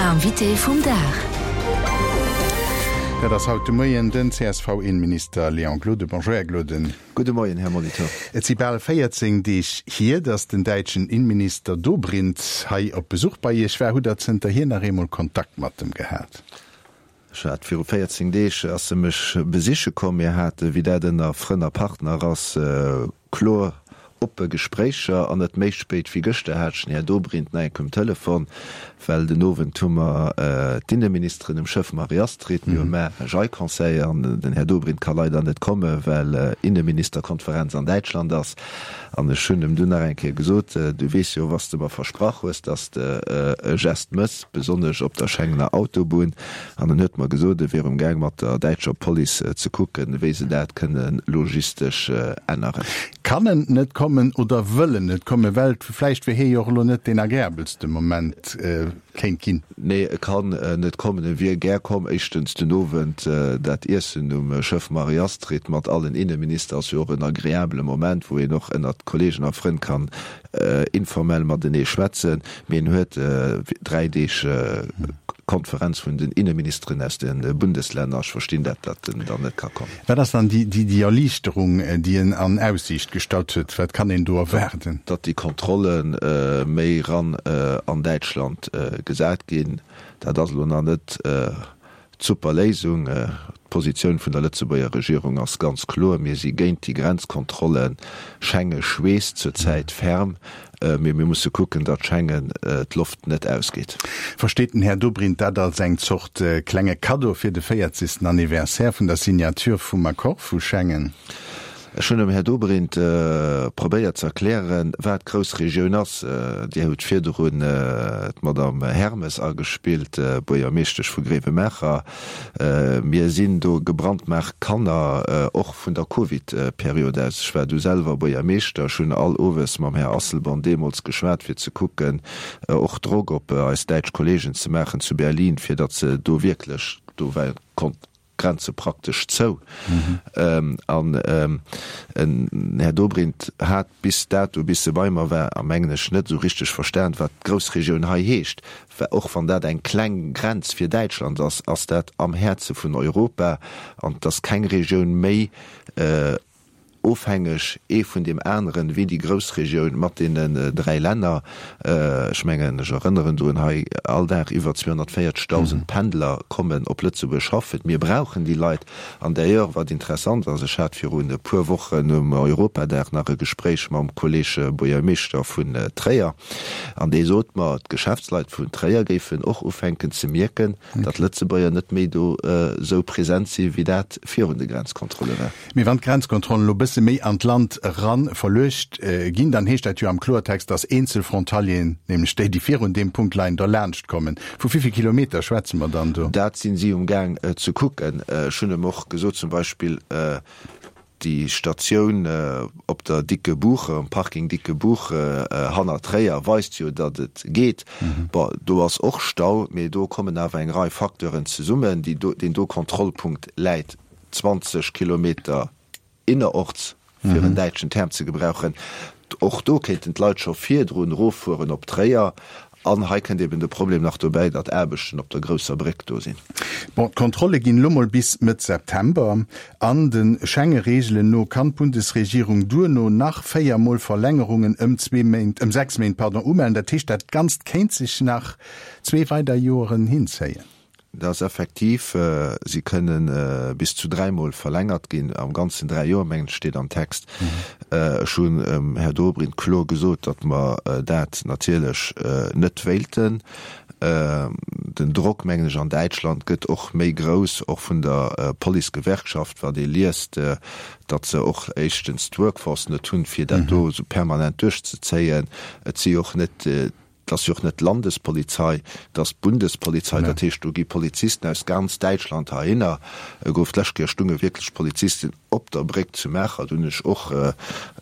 Invité vum Dag. Dat ass haut de Moien den CSV-Innenminister Léon Gloden. Bonjour, Här Gloden. Gudde Moien, Här Molitor. Et si bal 14 Deeg hier, datt den däitschen Innenminister Dobrindt hei op Besuch bei Iech war. Hutt Der zënterhier nach eemol Kontakt mat em gehat? Ech hat viru 14 Deeg ass e mech besiche komm. Mir hate, wéi dat ënner Frënn a Partner ass, kloer oppe Gespréicher. An net méi spéit wéi gëschter hat ech den Här Dobrindt nach eng Kéier um Telefon, well den Owend hu mer d'Inneministeren um Schëff Marie-Astrid. Mir hu mar e Jai-Conseil an den Här Dobrindt ka leider net komme well Inneministerkonferenz an Däitschland ass. An ech hunn em dunn nach eng Kéier gesot, Du weess jo, was de mer versprach hues, dass de e Gest mëss, besonnesch op der Schengener Autobunn. An en huet mer gesot, e wier um Gaang mat der däitscher Police ze kucken, wéi se dat kënne logistesch änneren. Kann en net kommen oder wëll en net kommen? Well vläicht wier hie jo och elo net deen agreabelste Moment kéint ginn. Nee, e kann net kommen. E wier gär komm. Éischtens den Owend dat Iessen um Schëff Marie-Astrid mat allen Inneminister ass jo och en agreabele Moment, wou een och ënnert Kollegen a Frënn kann informell matenee schwätzen. Mee en huet 3 Deeg Konferenz vun den Inneministeren aus de Bundeslänner. Ech verstinn dat, datt en dann net ka kommen. Wat ass dann déi Erliichterung, déi en an Aussiicht gestallt huet? Wat kann een do erwaarden? Datt déi Kontrolle méi ran an Däitschland gesat ginn. Dat ass elo nach net d'super Léisung. D'Positioun vun der Lëtzebuerger Regierung ass ganz kloer, Mir si géint déi Grenzkontrollen. Schenge schweesst zur Zäit ferm, mee mir musse kucken, datt Schengen d'Loft net ausgeet. Versteet den Här Dobrindt dat als eng Zort klenge Kaddo fir de 40. Anniversaire vun der Signature vum Accord vu Schengen? Ech hunn dem Här Dobrindt probéiert ze erklären, wat d'Groussregioun ass. Dir hutt virdrun d'Madame Hermes agespillt, Buergermeeschtesch vu Gréiwemaacher. Mir sinn do gebrandmaart Kanner, och vun der Covid-Period aus. Ech war du selwer Buergermeeschter. Ech hunn all Owes mam Här Asselborn deemools geschwat, fir ze kucken, och Drock op eis däitsch Kollegen ze maachen zu Berlin, fir datt se do wierklech, do war Grenze praktesch zou. An den Här Dobrindt hat bis dato, bis e bei mer war, a mengen ech, net esou richteg verstan, wat d'Groussregioun hei heescht. Well och wann dat eng kleng Grenz fir Däitschland ass, ass dat am Häerze vun Europa an et ass keng Regioun méi Ofhängeg ee vun deem aneren, wéi déi Groussregioun mat deenen 3 Länner. Ech mengen, ech erënneren drun, hei all Dag iwwer 240.000 Pendler kommen op Lëtzebuerg schaffen. Mir brauchen déi Leit. An d'ailleurs, wat interessant ass, ech hat virun e puer Wochen um Europadag nach e Gespréich mam Kolleg Buergermeeschter vun Tréier, an dee sot mer, d'Geschäftsleit vun Tréier géifen och ufänken ze mierken, datt Lëtzebuerger net méi do esou present si wéi dat virun de Grenzkontrolle war. Mee wann d'Grenzkontrollen elo bësse méi an d'Land eran verluecht ginn, dann heescht dat jo am Kloertext, dass eenzel Frontalieren, nämlech déi, déi virun deem Punkt leien, derlaanscht kommen. Vu wéi vill Kilometer schwätze mer dann do? Dat sinn si um Gaang ze kucken. Ech hunn em och gesot, zum Beispill déi Statioun op der Dicke Buche, um Parking Dicke Buche hanner Tréier weist jo, datt et geet. Bon, do ass och Stau, mee do kommen awer eng Rei Facteuren zesummen, déi do, deen do Kontrollpunkt läit 20 Kilometer innerorts, fir en däitschen Term ze gebrauchen. Och do kéinten d'Leit scho virdrun eroffueren op Tréier. An hei kënnt eben de Problem nach dobäi, datt Aarbechten op der grousser Bréck do sinn. Bon, d'Kontrolle ginn elo mol bis Mëtt September. An de Schenge-Reegelen no kann d'Bundesregierung duerno nach 4 mol Verlängerungen ëm zwee Méint, ëm 6 Méint, pardon, umellen. Dat heescht, dat Ganzt kéint sech nach zwee weider Joeren hinzéien. Dat ass effektiv, si kënnen bis zu dräimol verlängert ginn, am Ganzen dräi Joer, mengen ech, steet am Text. Ech hunn dem Här Dobrindt kloer gesot, datt mer dat natierlech net wéilten. Den Drock, mengen ech, an Däitschland gëtt och méi grouss, och vun der Policegewerkschaft, wat ee liest, datt se och éischtens d'Workforce net hunn, fir dat do esou permanent duerchzezéien. Et si och net Et ass jo och net d'Landespolizei, et ass d'Bundespolizei. Dat heescht, do gi Polizisten aus ganz Däitschland heihinner. Gouf d'lescht Kéier stunge wierklech Polizisten. Op der Bréck zu Maacher. Do hunn ech och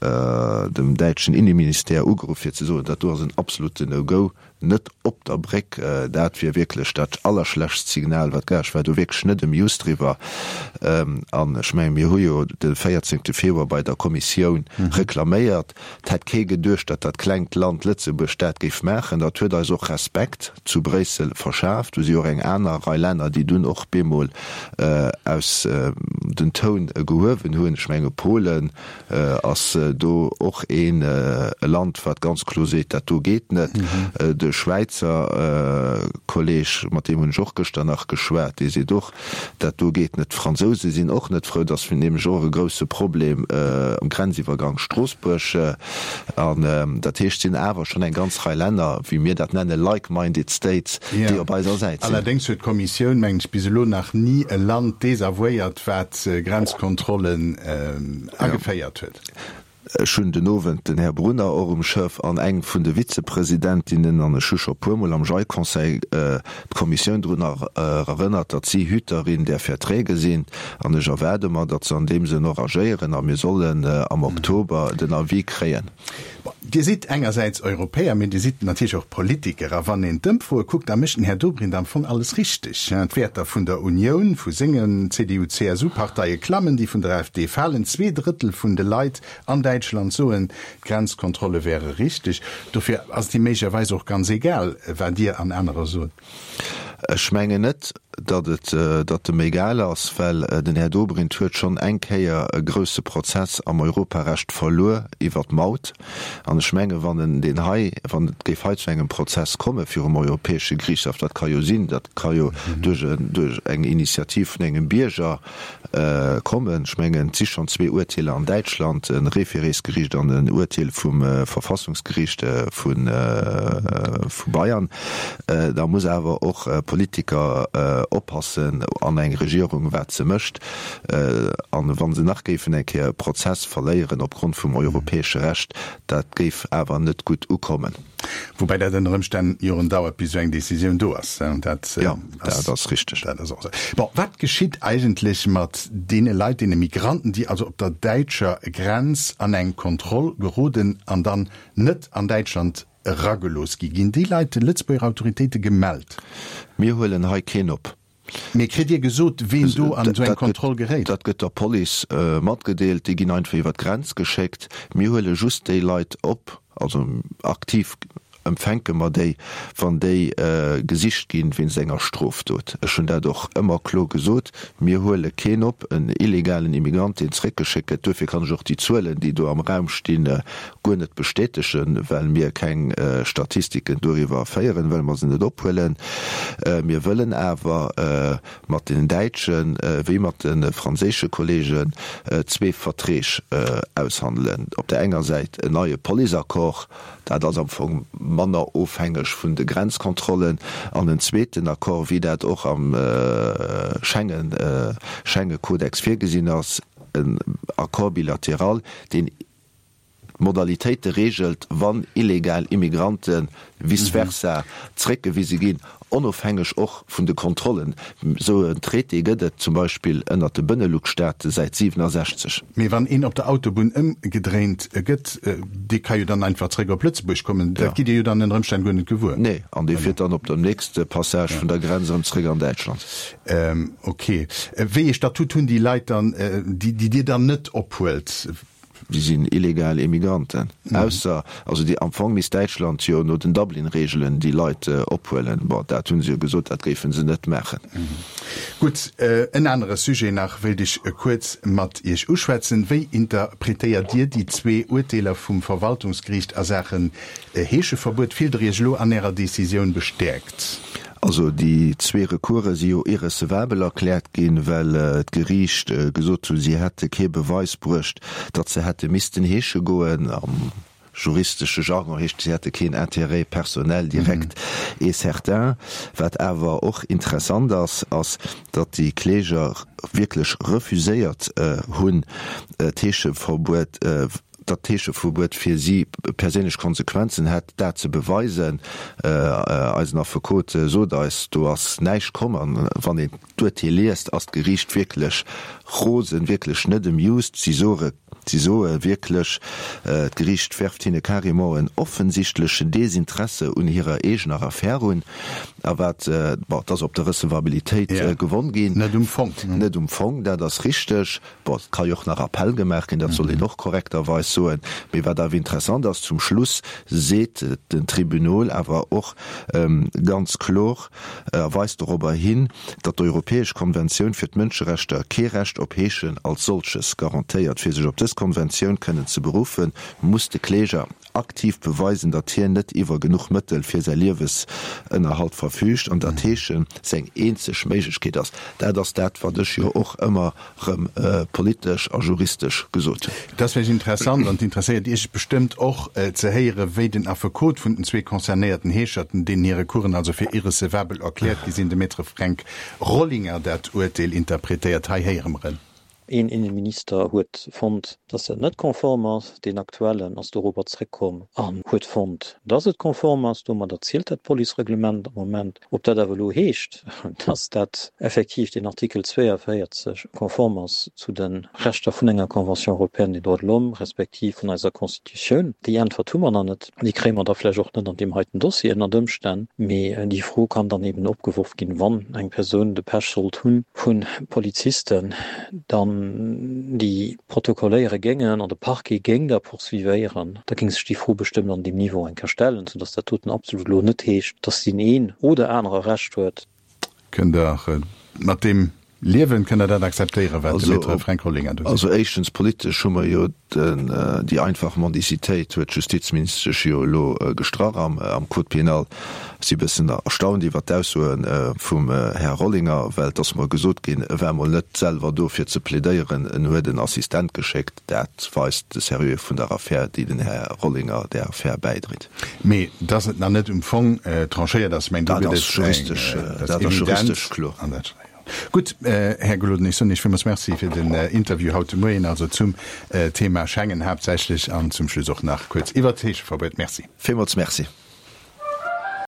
dem däitschen Inneministère ugeruff fir ze soen, dat do ass en absoluten No-Go, net op der Bréck. Dat wier wierklech dat allerschlechtst Signal wat gär. Ech war do wierklech net amused driwwer. An ech mengen, mir hu jo de 14 Februar bei der Kommissioun reklaméiert. Et hätt kee geduecht, datt dat klengt Land Lëtzebuerg dat géif maachen. Dat huet eis och Respekt zu Bréissel verschaaft. Do si och eng aner Rei Länner, déi dunn och bemol aus den Toun gehuewen hunn. Ech menge Polen ass do och een e Land, wat ganz kloer seet, dat do geet net. De Schwäizer Kolleg, mat deem hunn ech och gëschter nach geschwat, dee seet och, Dat do geet net. D'Fransouse sinn och net frou. Dat ass nämlech och e grousse Problem am Grenziwwergang Stroossbuerg. An dat heescht, et sinn awer schonn eng ganz Rei Länner, wéi mir dat nennen, like-minded states, déi op eiser Säit sinn. Allerdéngs huet d'Kommissioun, mengen ech, bis elo nach ni e Land desavouéiert, wat Grenzkontrollen ageféiert huet. Ech hunn den Owend den Här Brunner och um Schëff an eng vun de Vizepresidentinnen, an ech hu scho puermol am JAI-Conseil d'Kommissioun drun erënnert, datt si Hüterin där Verträge sinn. An ech erwaarde mer, datt se an deem Sënn och agéieren a mir sollen am Oktober den Avis kréien. Bon, Dir sidd engersäits Europäer, mee Dir sidd natierlech och Politiker. A wann een d'Ëmfroe kuckt, da mécht den Här Dobrindt am Fong alles richteg. D'Wäerter vun der Unioun, vu sengen CDU-CSU-Parteie klammen, déi vun der AfD falen. Zweedrëttel vun de Leit an Däitschland soen, d'Grenzkontrolle wäre richteg. Dofir ass et him méiglecherweis och ganz egal, wat Dir an anerer sot. Ech mengen net, datt et datt em egal ass, well den Här Dobrindt huet schonn eng Kéier e grousse Prozess am Europarecht verluer iwwer d'Maut. An ech menge wann en deen hei, wann et géif hei zu engem Prozess komme virum Europäesche Geriichtshaff, dat ka jo sinn, dat ka jo duerch en duerch eng Initiativ vun engem Bierger kommen, ech mengen et si schonn zwee Urteeler an Däitschland, e Référésgeriicht an en Urteel vum Verfassungsgeriicht vu Bayern, da muss awer och Politiker oppassen an eng Regierung wat se mécht. An wa se nach géifen eng Kéier e Prozess verléieren opgrond vum europäesche Recht, dat géif awer net gutt ukommen. Woubäi dat ënner Ëmstänn Joren dauert, bis esou eng Décisioun do ass. Dat jo, dat ass richteg. Dat ass och esou. Bon, wat geschitt eigentlech mat deene Leit, deene Migranten, déi also op der däitscher Grenz an eng Kontroll geroden an dann net an Däitschland eragelooss gi? Ginn déi Leit de Lëtzebuerger Autoritéite gemellt? Mir huelen hei keen op. Mee kritt Dir gesot, ween do an esou eng Kontroll geréit? Dat gëtt der Police matgedeelt. Déi ginn einfach iwwer d'Grenz geschéckt. Mir huele just déi Leit op, also aktiv empfänke mer déi, wann déi gesicht ginn wéinst enger Strofdot. Ech hunn dat och ëmmer kloer gesot, Mir huele keen op, en illegalen Immigrant, deen zeréckgeschéckt gëtt. Duerfir kann ech och déi Zuelen, déi do am Raum stinn, guer net bestätegen, well mir keng Statistiken doriwwer féieren, well mer se net ophuelen. Mir wëllen awer mat den däitsche wéi mat de franséische Kollegen zwee Verträg aushandelen. Op där enger Säit en neie Policeaccord, dat ass am Fong manner ofhängeg vun de Grenzkontrollen, an en zweeten Accord, wéi dat och am Schengen, Schengekodex virgesinn ass, en Accord bilatéral, deen d'Modalitéite reegelt, wann illegal Immigrante vice versa zréckgewise ginn, onofhängeg och vun de Kontrollen. Esou en Traité gëtt et zum Beispill ënnert de Benelux-Staate säit 67. Mee wann een op der Autobunn ëmgedréint gëtt, dee ka jo dann einfach zréck op Lëtzebuerg kommen. Dat gitt Dir jo dann ënner Ëmstänn guer net gewuer. Nee, an dee fiert dann op dem nächste Passage vun der Grenz erëm zréck an Däitschland. Ok. Wéi ee Statut hunn déi Leit dann, déi Dir dann net ophuelt? Déi sinn illegal Immigranten. Ausser, also déi, am Fong misst Däitschland jo no den Dublin-Reegelen déi Leit ophuelen. Bon, dat hu se jo gesot, dat géife se net maachen. Gutt, en anere Sujet nach wéilt ech kuerz mat Iech uschwätzen. Wéi interpretéiert Dir déi zwee Urteeler vum Verwaltungsgeriicht a Saachen Heescheverbuet? Fillt Der Iech elo an Ärer Decisioun bestäerkt? Also déi zwee Recourse si jo irrecevabel erkläert ginn, well d'Geriicht gesot hunn, si hätte kee Beweis bruecht, datt se hätte missten heesche goen. Am juristesche Jargon heescht, si hätte keen Intérêt personnel direct et certain. Wat awer och interessant ass, ass, datt déi Kläger wierklech refuséiert hunn, d'Heescheverbuet. datt d'Heescheverbuet fir si perséinlech Konsequenzen hätt, dat ze beweisen. Eisen Affekot sot eis, do ass näischt komm. An wann een d'Urteel liest, ass d'Geriicht wierklech rosen, wierklech net amused. Si soe, si soe wierklech, d'Geriicht werft hinne carrément en offensichtlechen Desinteresse un hirer eegener Affär un. A wat, bon, et ass op der Recevabilitéit gewonn ginn. Net um Fong. Net um Fong, dat ass richteg. Bon, et ka jo och nach Appell gemaach ginn, dat soll een och korrekterweis soen. Mee wat awer interessant ass, zum Schluss seet den Tribunal awer och ganz kloer a weist dorobber hin, datt d'Europäesch Konventioun fir d'Mënscherechter kee Recht op Heeschen als solches garantéiert. Fir sech op dës Konventioun kënnen ze beruffen, muss de Kläger aktiv beweisen, datt hien net iwwer genuch Mëttel fir säi Liewesënnerhalt verfüügt an datt Heeschen seng eenzeg Méiglechkeet ass. Dat ass dat, wat ech jo och ëmmer rëm politesch a juristesch gesot hunn. Et ass vläicht interessant, an et interesséiert Iech bestëmmt och, ze héieren, wéi den Affekot vun den zwee concernéierten Heescherten, deenen hir Recoursen also fir irrecevabel erkläert gi sinn, de Maître Fränk Rollinger, dat Urteel interpretéiert. Hei héiere mer en. Een Inneminister huet fonnt, dass dat net konform ass. Deen aktuellen ass dorobber zréckkomm an huet fonnt, dass et konform ass. Domadder zielt dat Policereglement am Moment. Ob dat awer elo heescht, dass dat effektiv deen Artikel 42 konform ass zu de Rechter vun enger Convention européenne des droits de l'homme respektiv vun eiser Constitutioun, déi Äntwert hu mer nach net. Déi kréie mer da vläicht och net an deem heiten Dossier ënnert Ëmstänn. Mee déi Fro kann dann eben opgeworf ginn, wann eng Persoun de Pech sollt hu vu Polizisten dann, déi protokolléiere géingen an de Parquet géing da poursuivéieren, da géing sech déi Fro bestëmmt an deem Niveau eng Kéier stellen, soudass dat doten absolut elo net heescht, dass deen een oder anere Recht huet. Kënnt Der mat deem liewen? Kënnt Der dat akzeptéieren, wat de Maître Fränk Rollinger do seet? Also éischtens, politesch hu mer jo déi einfach Mendicitéit, huet d'Justizministesch jo elo gestrach am Code pénal. Ech si e bëssen erstaunt iwwert d'Aussoe vum Här Rollinger, well et ass mer gesot ginn, e war mol net selwer do fir ze plädéieren, en huet en Assistent geschéckt. Dat weist de Sérieux vun der Affär, déi den Här Rollinger där Affär bäidréit. Mee dass et nach net um Fong tranchéiert ass, meng do gëtt et eng, dat ass evident. An dat. Gutt, Här Gloden, ech soen Iech villmools Merci fir den Interview haut de Moien, also zum Thema Schengen haaptsächlech an zum Schluss och nach kuerz iwwert d'Heescheverbuet. Merci. Villmools Merci.